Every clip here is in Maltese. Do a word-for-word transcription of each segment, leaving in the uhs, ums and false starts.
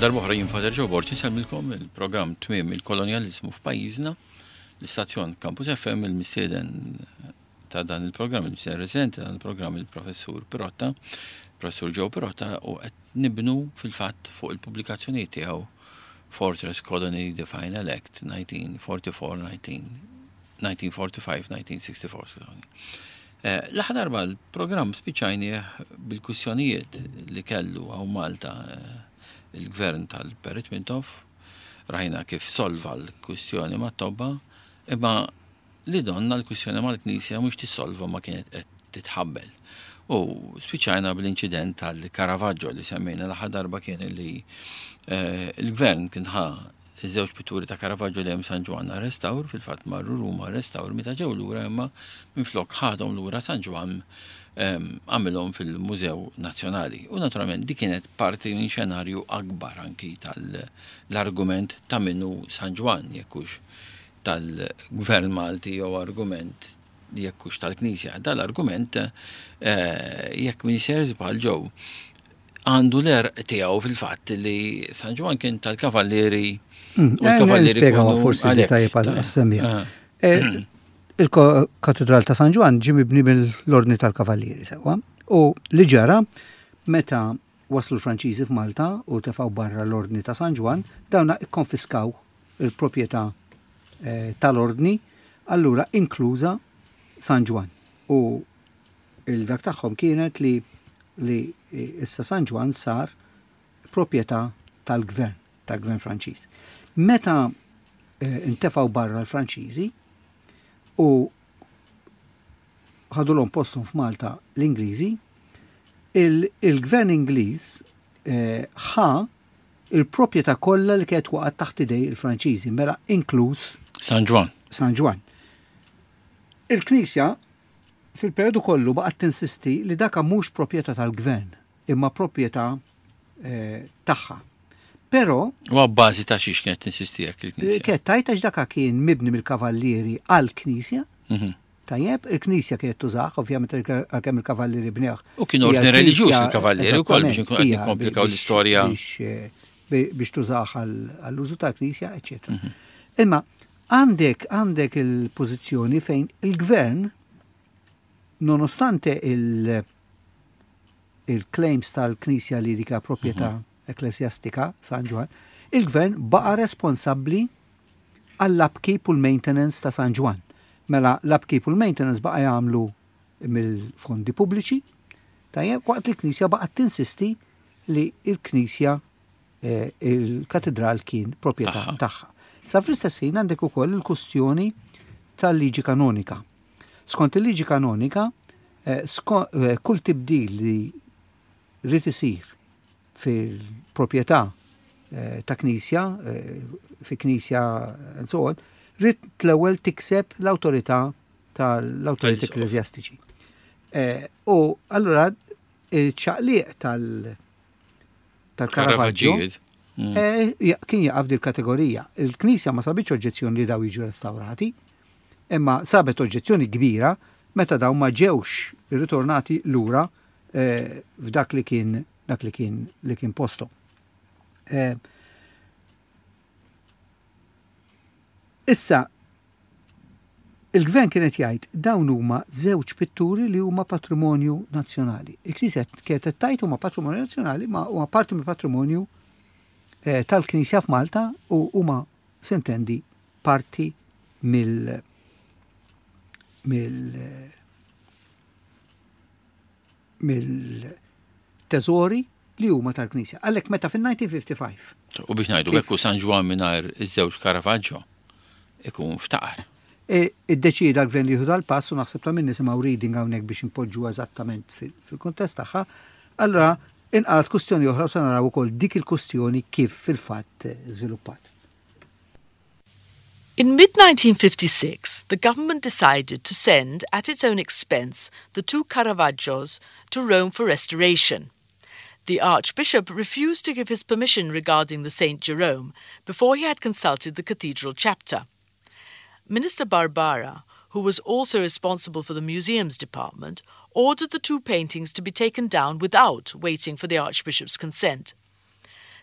Għal darb'oħra jien Father Joe Borg insellmilkom il-programm Tmiem il-Kolonjaliżmu f'pajjiżna, l-istazzjon Campus F M, il-mistieden ta' dan il-programm, il-mistieden residenti ta' dan il-programm, il-professur Pirotta, professur Joe Pirotta, u qed nibnu fil-fatt fuq il-pubblikazzjonijiet tiegħu Fortress Colony, The Final Act, nineteen forty-four, nineteen forty-five nineteen sixty-four. Eh, l-aħħar darba l-programm spiċajnieh bil-kwistjonijiet li kellu hawn Malta eh, il-gvern tal-Perit Mintoff, rajna kif solva l-kwistjoni ma' tobba, imma li donna l-kwistjoni mal-Knisja mhux tissolva, ma kienet qed titħabbel. U spiċajna bl-inċident tal-Caravaggio li semmejna l-aħħar darba, kien li eh, il-gvern kien ħa iż-żewġ pitturi ta' Caravaggio li hemm San Ġwann restawr, fil-fatt marru Ruma restawr, meta ġew lura imma minflok ħadhom lura San Ġwann għamilhom fil-Mużew Nazzjonali. U naturalment di kienet parti minn xenarju akbar anki tal-argument ta' minnu San Ġwann, jekk hux tal-Gvern Malti jew argument jekk hux tal-Knisja. Dal-argument, eh, jekk minn ser żball ġew, għandu l-għerq tiegħu fil-fatt li San Ġwann kien tal-Kavallieri. Mm, U l-Kavallieri Spiegaw kienu forsi għalhekk. Tajjeb għas-semmiegħa. Ah. Eh, Il-Katedral ta' San Ġwann ġie mibni mill-Ordni tal-Kavallieri, sewwa. U li ġara, meta waslu l-Franċiżi f'Malta u tefgħu barra l-Ordni ta' San Ġwann, dawna ikkonfiskaw il-proprjetà eh, tal-Ordni, allura inkluża San Ġwann. U il-dak tagħhom kienet li li issa San Ġwann sar proprjetà tal-gvern, tal-gvern Franċiż. Meta eh, intefgħu barra l-Franċiżi u ħadulhom posthom f'Malta l-Ingliżi, il- il-gvern Ingliż eh, ħa il-proprjetà kollha li kienet waqgħet taħt idej il-Franċiżi, mela inkluż San Ġwann. San Ġwann. Il-Knisja fil-periodu kollu baqgħet tinsisti li daka mhux proprjetà tal-gvern, imma proprjetà eh, tagħha. Però U għabbażi ta' xiex kienet tinsisti hekk il-Knisja? Kienet tgħid għax daka kien mibni mill-Kavallieri għall-Knisja, Mhm. tajjeb, il-Knisja kienet tużah, ovvjament għalkemm il-Kavallieri bnewh. U kien ordni Hija reliġjuż l-Knisja- il-Kavallieri wkoll, biex inkunu qed eżattament, nikkomplikaw hija l-istorja. Biex, eh, bi- biex tużah għall- għall-użu tal-Knisja, eċċetera. Imma għandek għandek il-pożizzjoni fejn il-gvern, nonostante il- il-claims tal-Knisja li dika proprjetà ekklesjastika, San Ġwann, il-gvern baqa responsabbli għall-upkeep u l-maintenance ta' San Ġwann. Mela l-upkeep u l-maintenance baqa jagħmlu mill-fondi pubbliċi, tajjeb, waqt li l-Knisja baqgħet tinsisti li il-Knisja, eh, il-katedral kien proprjetà Tagħha. tagħha. Sa fl-istess ħin għandek ukoll il-kustjoni tal-liġi kanonika. Skont il-liġi kanonika, eh, sko- eh, kull tibdil li rrid isir fil-proprjetà eh, ta' knisja, eh, fi knisja and so on, rrid l-ewwel tikseb l-awtorità tal-awtorità Tal-isqof. ekkleżjastiċi. Eh, U allura il-ċaqliq tal- tal-Caravaggio Caravaggio. Mm. eh, ja- kien jaqaf dil kategorija. Il-Knisja ma sabitx oġġezzjoni li daw jiġu restaurati, imma sabet oġġezzjoni kbira meta daw ma ġewx ritornati lura eh, f'dak li kien dak li kien li kien posto. Eh, Issa, il-gvern kienet jgħid dawn huma żewġ pitturi li huma patrimonju nazzjonali. Il-Knisja kienet tgħid huma patrimonju nazzjonali, ma huma parti mill patrimonju eh, tal-Knisja f'Malta u huma, s'intendi, parti mill mill mill teżori li huma tal-Knisja. Għalhekk meta fin-elf disa' mija u ħamsa u ħamsin U biex ngħidu Kif? hekk, San Ġwann mingħajr iż-żewġ Caravaggio ikun ftaqar. E, iddeċida l-gvern li jieħu dal-pass u naħseb ta' min nisimgħu reading hawnhekk biex impoġġu eżattament fil- fil-kuntest tagħha. Allura inqalat kustjoni oħra u se naraw ukoll dik il-kustjoni kif fil-fatt eh, żviluppat. In mid nineteen fifty-six, the government decided to send, at its own expense, the two Caravaggios to Rome for restoration. The Archbishop refused to give his permission regarding the Saint Jerome before he had consulted the cathedral chapter. Minister Barbara, who was also responsible for the museums department, ordered the two paintings to be taken down without waiting for the Archbishop's consent.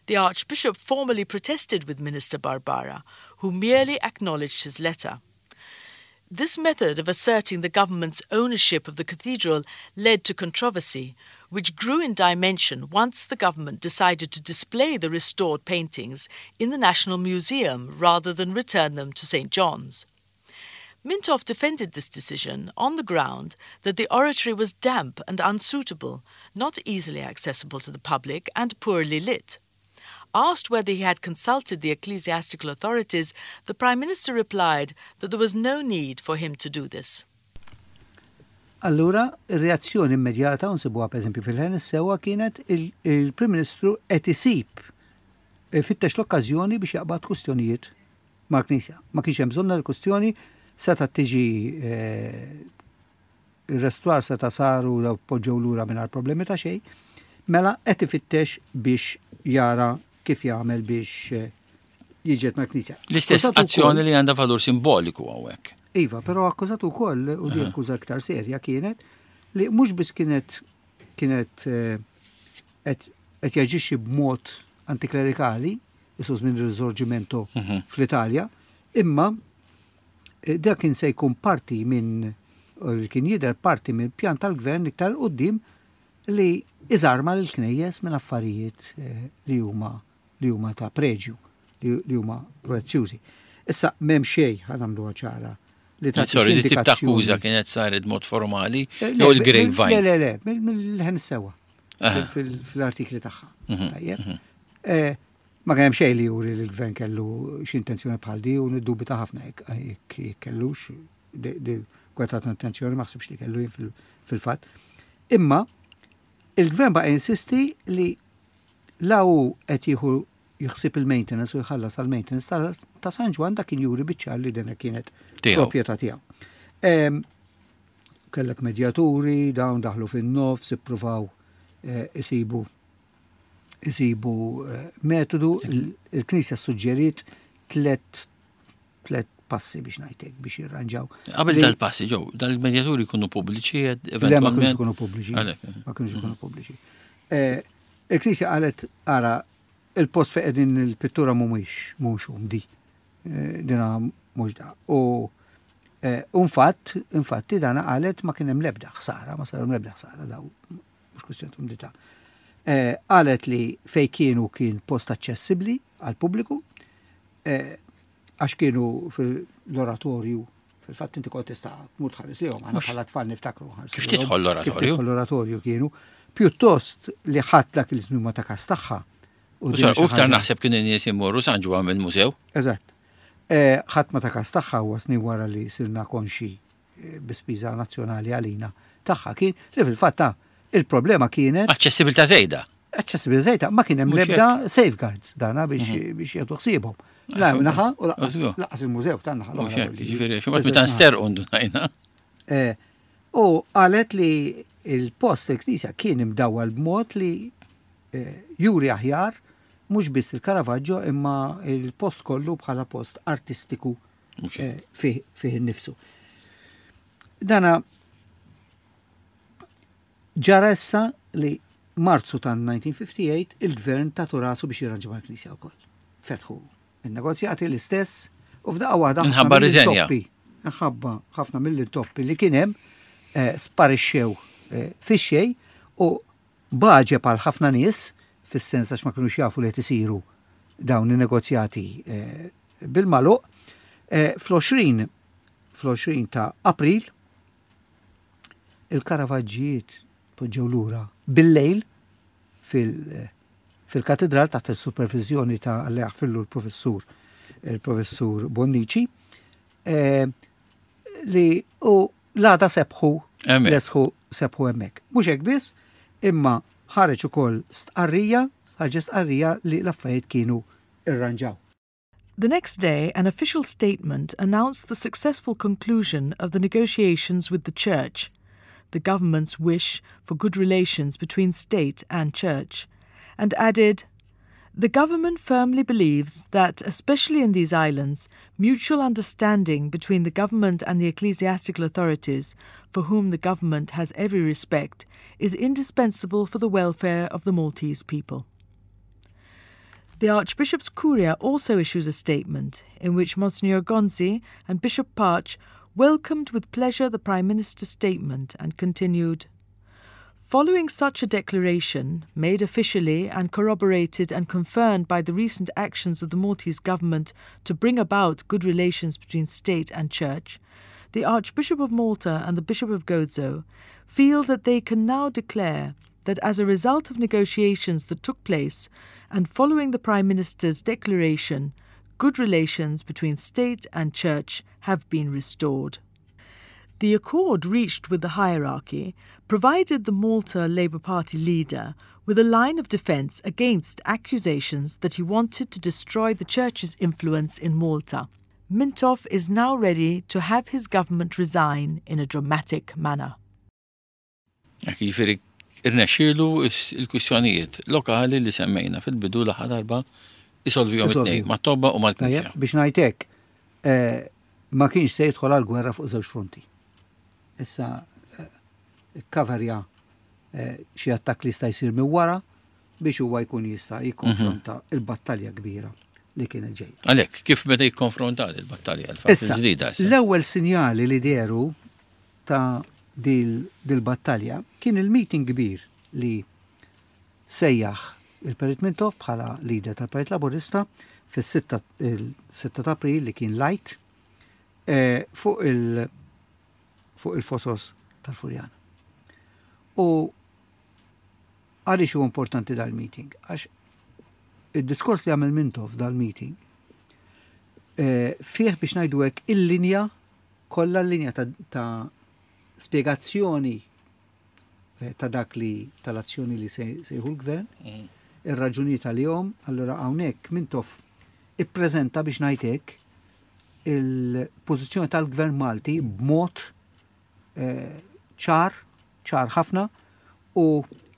The Archbishop formally protested with Minister Barbara, who merely acknowledged his letter. This method of asserting the government's ownership of the cathedral led to controversy, which grew in dimension once the government decided to display the restored paintings in the National Museum rather than return them to Saint John's. Mintoff defended this decision on the ground that the oratory was damp and unsuitable, not easily accessible to the public, and poorly lit. Asked whether he had consulted the ecclesiastical authorities, the Prime Minister replied that there was no need for him to do this. Allura, ir-reazzjoni immedjata, nsibuha pereżempju fil-Ħen Is-Sewwa, kienet il-Prim Ministru qed isib fittex l-okkażjoni biex jaqbad kwistjonijiet mal-Knisja. Ma kienx hemm bżonn l-kwistjoni, seta' tiġi ir-restawr seta' saru daw poġġew lura mingħajr problemi ta' xejn, mela qed ifittex biex jara kif jagħmel biex jiġġieled mal-Knisja. L-istess azzjoni li għandha valur simboliku hawnhekk. Iva, però akkużat ukoll, u di akkuża iktar serja kienet, li mhux biss kienet kienet qed jaġixxi b'mod antiklerikali, isus minn Risorgimento fl-Italja, imma dak kien se jkun parti minn, kien jidher parti minn pjan tal-gvern iktar quddiem li iżarma l-knejjes minn affarijiet li huma li huma ta' preġju, li huma prezzjużi. Issa m'hemm xejn, ħa nagħmluha ċara, li ta' Sorry, di tip ta' akkuża kienet saret mod formali jew il-grapevine? Le, le, le, mill-Ħen Sewwa fil-artikli tagħha. Tajjeb. Ma kien hemm xejn li juri li l-gvern kellu xi intenzjoni bħal di, u niddubita ħafna jekk kellux di kweta ta' intenzjoni, ma ħsibx li kellu jien fil-fatt. Imma il-gvern baqa' insisti li la hu qed jieħu jħsib il-maintenance u jħallas għal-maintenance ta' San Ġwann, dak kien juri biċ-ċar li dena kienet proprjetà tiegħu. Kellek medjaturi, dawn daħlu fin-nofs, ippruvaw isibu isibu metodu. Il-Knisja suġġeriet tlet tlet passi biex ngħidlek biex jirranġaw. Qabel dal-passi ġew, dal-medjaturi jkunu pubbliċi? Le, ma kienux ikunu pubbliċi. Ma kienux ikunu pubbliċi. Il-Knisja qalet, ara, il-post fejn qegħdin il-pittura mhumiex mhux umdi. Dina mhux da. U infatt, infatti dana qalet ma kien hemm l-ebda ħsara, ma saru l-ebda ħsara daw, mhux kwistjoni umdità. Qalet li fej kienu kien post aċċessibbli għal pubbliku, għax kienu fil-oratorju, fil-fatt inti kont tista' tmur tħares lihom, aħna bħala tfal niftakru. Kif tidħol l-oratorju? Kif tidħol l-oratorju kienu. Pjuttost li ħadd dak il-żmien ma ta' kas tagħha. U iktar naħseb kienu nies imorru San Ġwann mill-mużew. Eżatt. Ħadd ma ta' kas tagħha huwa snin wara li sirna konxi bi spiża nazzjonali għalina tagħha kien li fil-fatt il-problema kienet aċċessibilità żejda. Aċċessibilità żejda, ma kien hemm l-ebda safeguards dana biex biex jagħtu ħsiebhom. La naħa u laqas il-mużew tan-naħa l-oħra. Ġifieri, xi meta nsterqu ndunajna. U qalet li il-post il-knisja kien imdawwal b'mod li juri aħjar mhux biss il-Caravaggio imma il-post kollu bħala post artistiku fih innifsu. Dana ġara issa li Marzu ta' mille disa' mija u ħamsa u ħamsin il-gvern ta' rasu biex jirranġa mal-knisja wkoll. Fetħu il-negozjati l-istess u f'daqqa waħda Nħabba riżenja. Nħabba ħafna mill-intoppi li kien hemm sparixxew fix-xejn u baġe għal ħafna nies, fis-sens għax ma kinux jafu li qed isiru dawn in-negozjati bil-magħluq, fl-għoxrin fl-għoxrin ta' April il-Karavaġġijiet poġġew lura bil-lejl fil-katedral taħt il-supervizjoni ta' Alla jaħfirlu l-professur il-professur Bonnici, li u l-għada sebħu lesħu sebħu hemmhekk. Mhux hekk biss, imma ħareġ ukoll stqarrija, ħarġet stqarrija li l-affarijiet kienu irranġaw. The next day, an official statement announced the successful conclusion of the negotiations with the Church, the government's wish for good relations between state and church, and added, "The government firmly believes that, especially in these islands, mutual understanding between the government and the ecclesiastical authorities, for whom the government has every respect, is indispensable for the welfare of the Maltese people." The Archbishop's Curia also issues a statement in which Monsignor Gonzi and Bishop Pace welcomed with pleasure the Prime Minister's statement and continued, "Following such a declaration, made officially and corroborated and confirmed by the recent actions of the Maltese government to bring about good relations between state and church, the Archbishop of Malta and the Bishop of Gozo feel that they can now declare that as a result of negotiations that took place and following the Prime Minister's declaration, good relations between state and church have been restored." The accord reached with the hierarchy provided the Malta Labour Party leader with a line of defence against accusations that he wanted to destroy the church's influence in Malta. Mintoff is now ready to have his government resign in a dramatic manner. Jiġifieri irnexxielu il-kwistjonijiet lokali li semmejna fil-bidu l-aħħar darba isolvihom it-tnejn, mat-tobba u mal-Knisja. Biex ngħidlek, eh, ma kienx se jidħol għal-gwerra fuq żewġ fronti. Issa eh, kkaverja eh, xi attakk li jista' jsir minn wara biex huwa jkun jista' jikkonfronta mhm. il-battalja kbira li kienet ġejja. Għalhekk, kif meta jikkonfronta il-battalja l-ġdida? L-ewwel sinjali li dehru ta' dil-battalja kien il-meeting kbir li sejjaħ il-Perit Mintoff bħala leader tal-Partit Laburista fis-sitta ta' April, li kien l-Għid, eh, fuq il- fuq il-fosos tal-Furjana. U għaliex huwa importanti dal-meeting? Għax il-diskors li għamel Mintoff dal-meeting eh, fih, biex ngħidu hekk, il-linja kollha, l-linja ta', ta spiegazzjoni eh, ta' dak li tal-azzjoni li se jieħu l-gvern, mm. ir-raġuni tal-jom. Allora hawnhekk Mintoff ippreżenta, biex ngħidlek, il-pożizzjoni tal-gvern Malti b'mod eh, ċar, ċar ħafna, u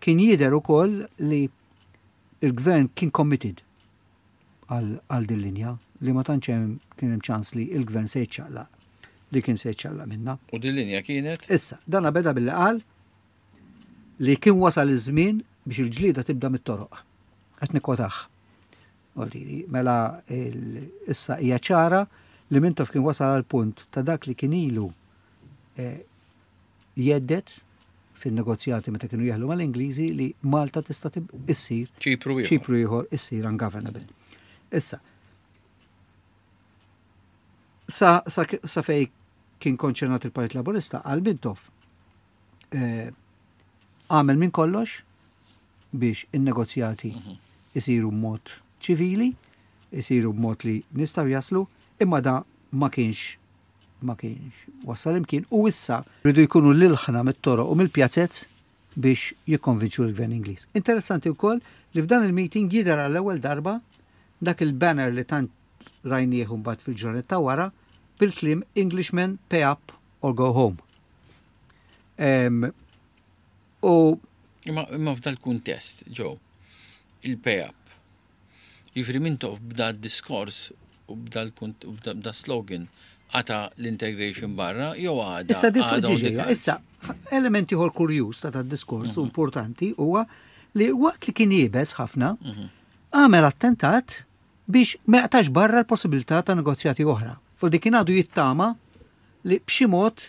kien jidher ukoll li il-gvern kien committed għal din linja li ma tantx kien hemm ċans li il-gvern se jiċċaqlaq li kien se jiċċaqlaq minna. U din linja kienet? Issa, dana beda billi qal li kien wasal iż-żmien biex il-ġlieda tibda mit-toroq. Qed nikkwotah. Mela issa hija ċara li Mintoff kien wasal għal punt ta' dak li kien ilu eh, jgħid fin-negozjati meta kienu jeħlu mal-Ingliżi, li Malta tista' issir Ċipru ieħor. Ċipru ieħor, issir ungovernable. Issa, sa, sa, sa fej kien konċernat il-Partit Laburista, għal Mintoff eh, għamel minn kollox biex in-negozjati mhm. isiru b'mod ċivili, isiru b'mod li nistgħu jaslu, imma da ma kienx ma kienx wassal imkien u issa rridu jkunu l-ilħna mit-toroq u mill-pjazzezz biex jikkonvinċu l-gvern Ingliż. Interessanti wkoll li f'dan il-meeting jidher għall-ewwel darba dak il-banner li tant rajnieh mbagħad fil-ġranet ta' wara bil-kliem "Englishmen, pay up or go home". Um, u Imma, imma f'dal kuntest, ġo, il-pay up. Jiġifieri Mintoff b'da diskors u b'da slogan qata' l-integration barra, jew għada? Issa di Issa, element ieħor kurjuż ta' diskors mm -hmm. importanti huwa li waqt li kien iebes ħafna, mhm. għamel attentat biex ma jaqtax barra l-possibilità ta' negozjati oħra. Fuq dik kien għadu jittama li b'xi mod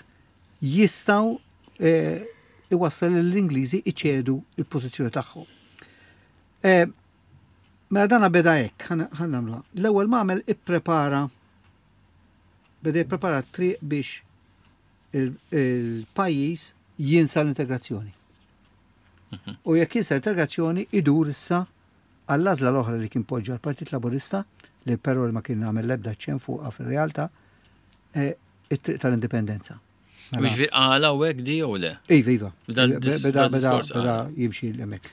jistgħu eh, iwassal l-Ingliżi iċedu il-pożizzjoni tagħhom. Eh, mela dana beda hekk, ħa nagħmluha. L-ewwel ma għamel, ipprepara beda jipprepara triq biex il-pajjiż jinsa l-integrazzjoni. Mhm. U jekk jinsa l-integrazzjoni, idur issa għall-għażla l-oħra li kien poġġa l-Partit Laburista, li però ma kien għamel l-ebda ċen fuqha fil-realtà, eh, it-triq tal-indipendenza. Mela. Jiġifieri għala u hekk di jew le? Iva, iva. Beda, beda, beda jimxi l-emek.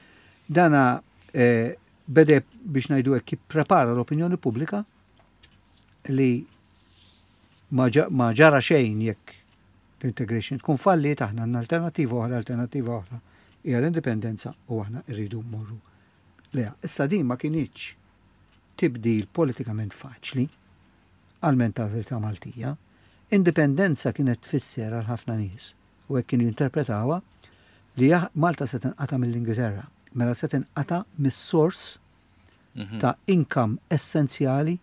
Dana eh, beda, biex ngħidu hekk, jipprepara l-opinjoni pubblika li ma ġara xejn jekk l-integration tkun falliet, aħna għandna alternativa oħra, alternativa oħra hija l-indipendenza u aħna rridu mmorru lejha. Issa din ma kinitx tibdil politikament faċli għal mentalità Maltija. Indipendenza kienet tfisser għal ħafna nies, u hekk kienu jinterpretawha, li Malta se tinqata' mill-Ingilterra, mela se tinqata' mis-sors ta' income essenzjali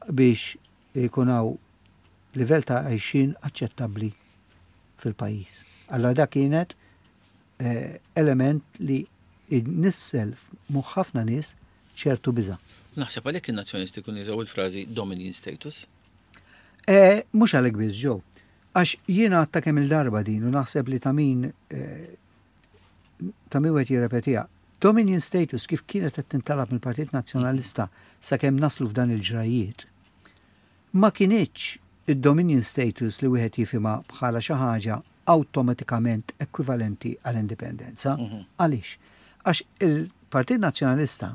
biex ikun hawn livell ta' għajxin aċċettabbli fil-pajjiż. Allora da kienet eh, element li nissel f'moħħ ħafna nies ċertu biża. Naħseb għalhekk in-nazzjonisti kun jużaw il-frażi "Dominion status". Eh, Mhux għalhekk biss ġew. Għax jiena għedtha kemm il-darba din u naħseb li ta' min eh, ta' min wieħed jirrepetiha. Dominion status kif kienet qed tintalab mill-Partit Nazzjonalista sakemm naslu f'dan il-ġrajiet, ma kinitx id-Dominion status li wieħed jifhimha bħala xi ħaġa awtomatikament ekwivalenti għall-indipendenza. Għaliex? Għax il-Partit Nazzjonalista,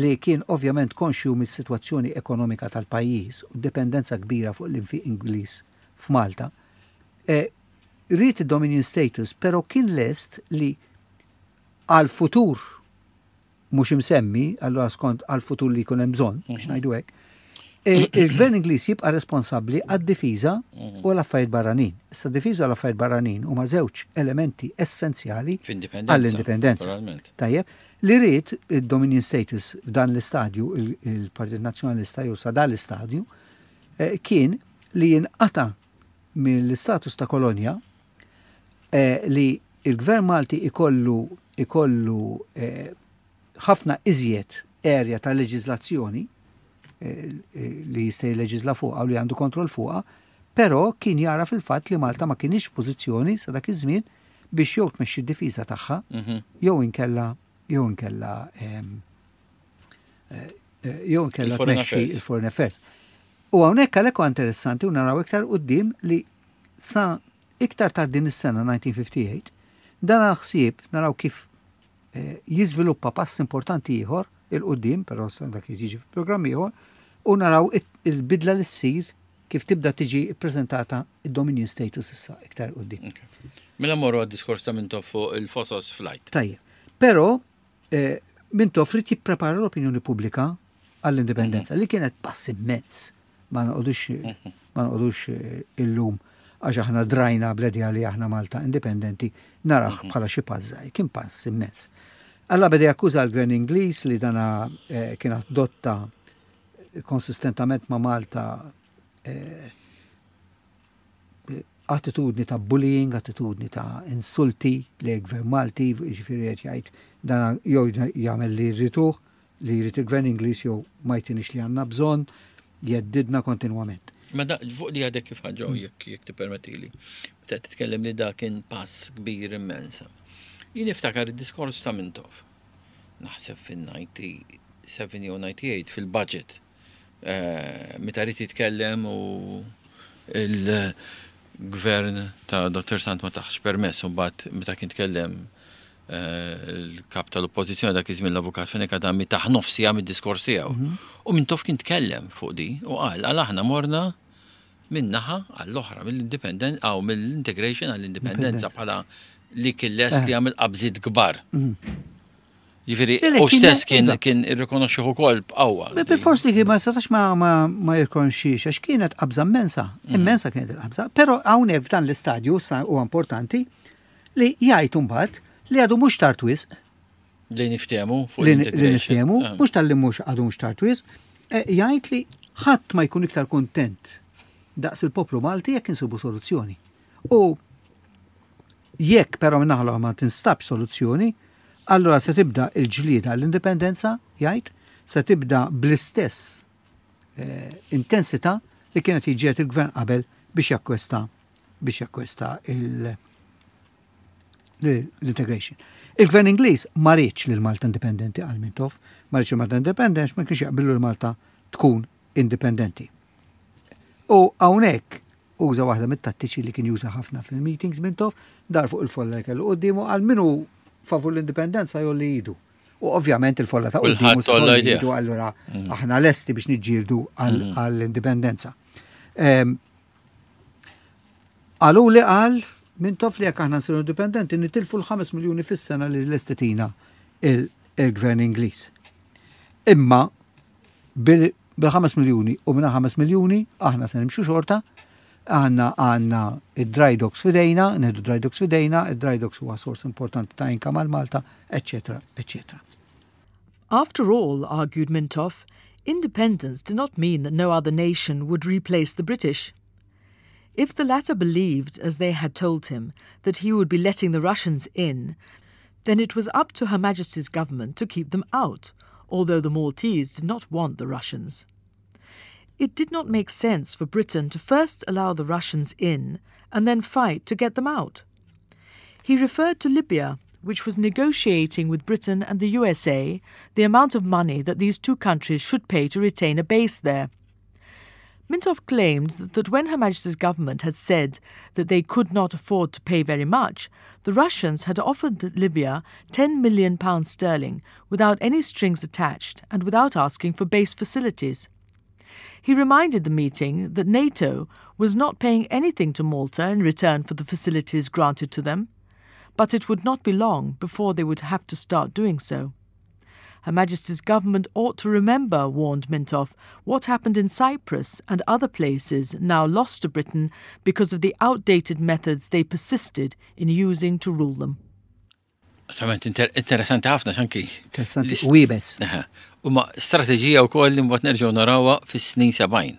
li kien ovvjament konxju mis-sitwazzjoni ekonomika tal-pajjiż u dipendenza kbira fuq l-infiq Ingliż f'Malta, eh, ried id-Dominion status, pero kien lest li għal-futur mhux imsemmi, allora skont għal-futur li jkun hemm bżonn, biex ngħidu hekk, eh, il-gvern Ingliż jibqa' responsabbli għad-difiża u l-affarijiet barranin. Issa, difiża u l-affarijiet barranin huma żewġ elementi essenzjali F'indipendenza. għall-indipendenza. Naturalment. Tajjeb, li ried il-Dominion status f'dan l-istadju, il- il-Partit Nazzjonalista jew sa dan l-istadju, eh, kien li jinqata mill-istatus ta' kolonja, eh, li il-Gvern Malti ikollu ikollu eh, ħafna iżjed area ta' leġiżlazzjoni eh, eh, li jista' jilleġiżla fuqha u li għandu kontroll fuqha, però kien jara fil-fatt li Malta ma kienx f'pożizzjoni sa dak iż-żmien biex jew tmexxi d-difiża tagħha Mhm. jew inkella jew inkella em, eh, eh, jew inkella Il-foreign tmexxi affairs. il-foreign affairs. U hawnhekk għalhekk huwa interessanti u naraw iktar quddiem li sa iktar tard din is-sena elf disa' mija u ħamsa u ħamsin dan għal-ħsieb naraw kif eh, jiżviluppa pass importanti ieħor 'il quddiem, però sa dak jiġi fil-programm ieħor, u naraw it- il-bidla li ssir kif tibda tiġi ppreżentata id-Dominion status issa iktar quddiem. Mela morru għad-diskors ta' Mintoff fuq il-Fosos Flight. Tajjeb. Però eh, Mintoff ried jipprepara l-opinjoni pubblika għall-indipendenza li kienet pass immens. Ma noqogħdux ma noqogħdux eh, illum, għax aħna drajna bl-idea li aħna Malta indipendenti, naraħ bħala xi pass żgħir, kien pass immens. Alla beda jakkuża l-gvern Ingliż li dana eh, kien adotta konsistentament ma' Malta eh, attitudni ta' bullying, attitudni ta' insulti li gvern Malti, ġifieri qed jgħid dan jew jagħmel li jriduh, li jrid il-gvern Ingliż, jew ma jtinix li għandna bżonn, jheddidna kontinwament. Ma da, fuq li għadek kif ħaġa, jekk jekk tippermettili. Meta titkellem li da kien pass kbir immensa. Jien niftakar id-diskors ta' Mintoff. Naħseb fin-disgħa u disgħin jew disgħa u tmenin fil-budget. Eh, Meta ried jitkellem u il-gvern ta' Dottor Sant ma tahx permess, u mbagħad meta kien tkellem eh, il-kap tal-oppożizzjoni dak iż-żmien, l-avukat Fenech Adami, tah nofs siegħa mid-diskors tiegħu. U Mintoff kien tkellem fuq di u qal għal aħna morna minn naħa għall-oħra, mill-independent aw mill-integration għall-indipendenza, bħala li kien lest li jagħmel qabżiet kbar. Jiġifieri, Le, le, u kien- stess kien iva. kien irrikonoxxih ukoll b'qawwa. Bil-fors li kien ma setax ma, ma, ma jirkonxiex, għax kienet qabża immensa, immensa kienet il-qabża, pero hawnhekk f'dan l-istadju sa huwa importanti li jgħid imbagħad li għadu mhux tard wisq Li niftehmu fuq li li l-integration. niftehmu, Ah. mhux tal-li mhux għadu mhux tard wisq, eh, jgħid li ħadd ma jkun iktar kontent daqs il-poplu Malti jekk insibu soluzzjoni. U jekk però minnaħla ma tinstabx soluzzjoni, allora se tibda il-ġlieda għall-indipendenza, jgħid, se tibda bl-istess eh, intensità li kienet jiġġieled il-gvern qabel biex jakkwesta biex jakkwesta il- l-integration. Il-gvern Ingliż ma riedx lil Malta indipendenti, għal Mintoff, ma riedx Malta indipendenti, ma kienx jaqbillu l Malta tkun indipendenti. U hawnhekk uża waħda mit-tattiċi li kien juża ħafna fil-meetings Mintoff, dar fuq il-folla li kellu quddiemu, għal min hu favur l-indipendenza jgħolli idu. U ovvjament il-folla ta' Kulħadd quddiemu se għolla tgħolli idejh. idu, allura aħna lesti biex niġġieldu għall-indipendenza. Em, Għalu li qal Mintoff li jekk aħna nsiru indipendenti nitilfu l-ħames miljuni fis-sena li lest itina il-gvern Ingliż. Imma bil-ħames miljuni u minna ħames miljuni aħna se nimxu xorta, għandna għandna id-dry docks f'idejna, nieħdu dry docks f'idejna, id-dry docks huwa sors importanti ta' income għal Malta, eccetera, eccetera. After all, argued Mintoff, independence did not mean that no other nation would replace the British. If the latter believed, as they had told him, that he would be letting the Russians in, then it was up to Her Majesty's government to keep them out, although the Maltese did not want the Russians. It did not make sense for Britain to first allow the Russians in and then fight to get them out. He referred to Libya, which was negotiating with Britain and the USA the amount of money that these two countries should pay to retain a base there. Mintoff claimed that when Her Majesty's government had said that they could not afford to pay very much, the Russians had offered Libya ten million pounds sterling without any strings attached and without asking for base facilities. He reminded the meeting that NATO was not paying anything to Malta in return for the facilities granted to them, but it would not be long before they would have to start doing so. Her Majesty's government ought to remember, warned Mintoff, what happened in Cyprus and other places now lost to Britain because of the outdated methods they persisted in using to rule them. Verament interessanti ħafna xanki. Interessanti, u iebes. U ma strateġija wkoll li mbagħad nerġgħu narawha fis-snin sebgħin.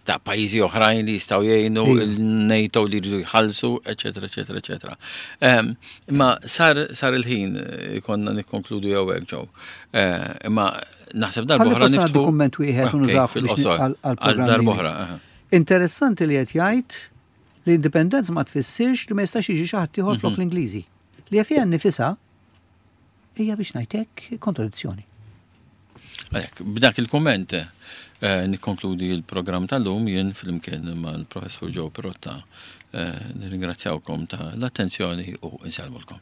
Ta' pajjiżi oħrajn li jistgħu jgħinu il-NATO li jridu jħallsu, eċetera, eċetera, eċetera. Imma sar sar il-ħin konna nikkonkludu jew hekk ġew. Imma naħseb darba oħra niftħu. Dokument wieħed u nużaw għal darba oħra. Interessanti li qed jgħid li indipendenza ma tfissirx li ma jistax jiġi xi ħadd ieħor flok l-Ingliżi. Li fiha nnifisha hija biex ngħidlek kontradizzjoni. Għalhekk, b'dak il-komment eh, nikkonkludi il-programm tal-lum jien flimkien mal-professur Joe Pirotta eh, nirringrazzjawkom ta' l-attenzjoni u insellmulkom.